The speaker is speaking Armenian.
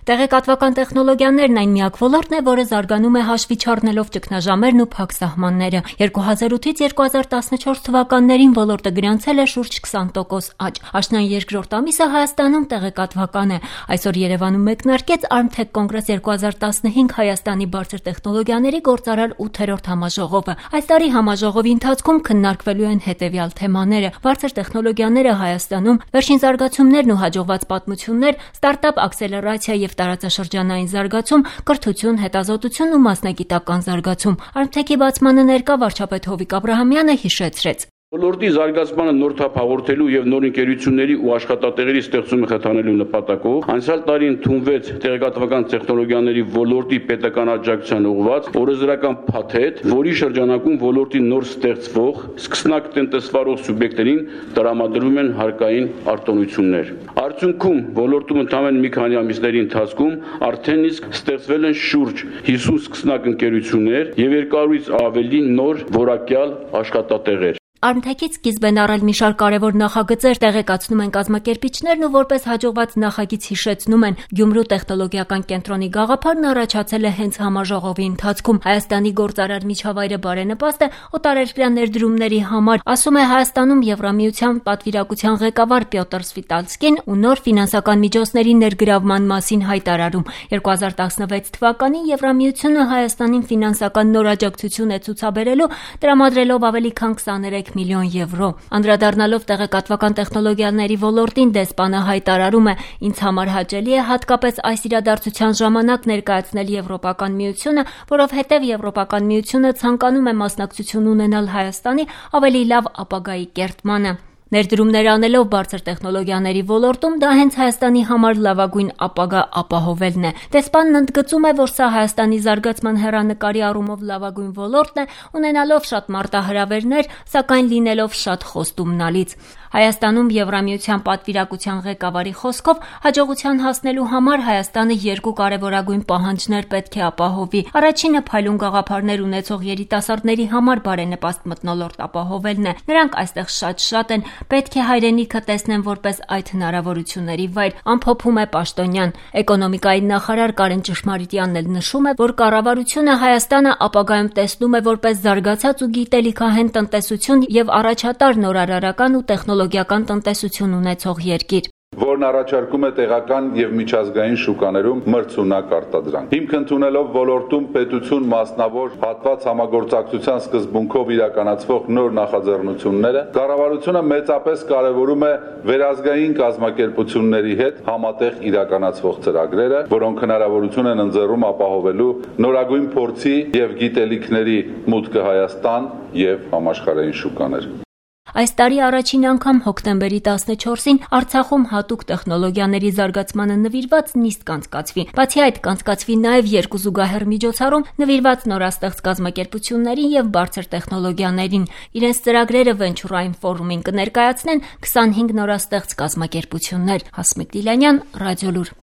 Տեղեկատվական տեխնոլոգիաներն այն միակ ոլորտն է, որը զարգանում է հաշվի չառնելով ճգնաժամերն ու փակ սահմանները։ 2008-ից 2014 թվականներին ոլորտը գրանցել է շուրջ 20% աճ։ Աշնան երկրորդ ամիսը Հայաստանում տեղեկատվական է։ Այսօր Երևանում մեկնարկեց Armtech Congress 2015 Հայաստանի բարձր տեխնոլոգիաների գործարար 8-րդ համաժողովը։ Այս տարի համաժողովի ընթացքում քննարկվելու են հետևյալ թեմաները՝ բարձր տեխնոլոգիաները Հայաստանում, վերջին զարգացումներն ու հաջողված պատմություններ, ստարտափ աքսելերացիա եւ տարածաշրջանային զարգացում, կրթություն, հետազոտություն ու մասնագիտական զարգացում։ Armtech-ի բացմանը ներկա վարչապետ Հովիկ Աբրահամյանը հիշեցրեց. Ոլորտի զարգացմանը նոր թափ հաղորդելու եւ նոր ընկերությունների ու աշխատատեղերի ստեղծումը խթանելու նպատակով անցյալ տարի ընդունվեց տեղեկատվական տեխնոլոգիաների ոլորտի պետական աջակցության ուղղված օրենսդրական փաթեթ, որի շրջանակում ոլորտի նոր ստեղծվող սկսնակ տնտեսվարող սուբյեկտներին տրամադրվում են հարկային արտոնություններ։ Արդյունքում ոլորտում ընդամենը մի քանի ամիսների ընթացքում արդեն իսկ ստեղծվել են շուրջ 50 սկսնակ ընկերություններ եւ 200-ից ավելի նոր որակյալ աշխատատեղեր։ Armtech-ից սկիզբ են առել մի շարք կարևոր նախագծեր, տեղեկացնում են կազմակերպիչներն ու որպես հաջողված նախագիծ հիշեցնում են Գյումրու տեխնոլոգիական կենտրոնի գաղափարն առաջացել է հենց համաժողովի ընթացքում։ Հայաստանի գործարար միջավայրը բարենպաստ է օտարերկրյա ներդրումների համար, ասում է Հայաստանում Եվրամիության պատվիրակության ղեկավար Պյոտր Սվիտալսկին ու նոր ֆինանսական միջոցների ներգրավման մասին հայտարարում։ 2016 թվականին Եվրամիությունը Հայաստանին ֆինանսական նոր աջակցություն է ցուցաբերելու, տրամադրելով ավելի քան 23 միլիոն եվրո։ Անդրադառնալով տեղեկատվական տեխնոլոգիաների ոլորտին, դեսպանը հայտարարում է. «Ինձ համար հաճելի է հատկապես այս իրադարձության ժամանակ ներկայացնել Եվրոպական միությունը, որովհետև Եվրոպական միությունը ցանկանում է մասնակցություն ունենալ Հայաստանի ավելի լավ ապագայի կերտմանը։ Ներդրումներ անելով բարձր տեխնոլոգիաների ոլորտում դա հենց Հայաստանի համար լավագույն ապագա ապահովելն է»։ Դեսպանն ընդգծում է, որ սա Հայաստանի զարգացման հեռանկարի առումով լավագույն ոլորտն է, ունենալով շատ մարտահրավերներ, սակայն լինելով շատ խոստումնալից։ Հայաստանում Եվրամիության պատվիրակության ղեկավարի խոսքով հաջողության հասնելու համար Հայաստանը երկու կարևորագույն պահանջներ պետք է ապահովի։ Առաջինը փայլուն գաղափարներ ունեցող երիտասարդների համար բարենպաստ մթնոլորտ ապահովելն է։ Նրանք այստեղ շատ են, պետք է հայրենիքը տեսնեն որպես այդ հնարավորությունների վայր, ամփոփում է Պաշտոնյան։ Էկոնոմիկայի նախարար Կարեն Ճշմարիտյանն էլ նշում է, որ կառավարությունը Հայաստանը ապագայում տեսնում է որպես զարգացած ու գիտելիքահեն տնտեսություն եւ առաջատար նորարարական ու տեխնոլոգիական տնտեսություն ունեցող երկիր, որն առաջարկում է տեղական եւ միջազգային շուկաներում մրցունակ արտադրանք։ Հիմք ընդունելով ոլորտում պետություն մասնավոր հատված համագործակցության սկզբունքով իրականացվող նոր նախաձեռնությունները, կառավարությունը մեծապես կարևորում է վերազգային կազմակերպությունների հետ համատեղ իրականացվող ծրագրերը, որոնք հնարավորություն են ընձեռում ապահովելու նորագույն փորձի եւ գիտելիքների մուտքը Հայաստան եւ համաշխարհային շուկաներ։ Այս տարի առաջին անգամ հոկտեմբերի 14-ին Արցախում հատուկ տեխնոլոգիաների զարգացմանը նվիրված նիստ կանցկացվի։ Բացի այդ, կանցկացվի նաև երկու զուգահեռ միջոցառում նվիրված նորաստեղծ կազմակերպություններին եւ բարձր տեխնոլոգիաներին։ Իրենց ծրագրերը Venture-ային ֆորումին կներկայացնեն 25 նորաստեղծ կազմակերպություններ։ Հասմիկ Դիլանյան, Ռադիոլուր։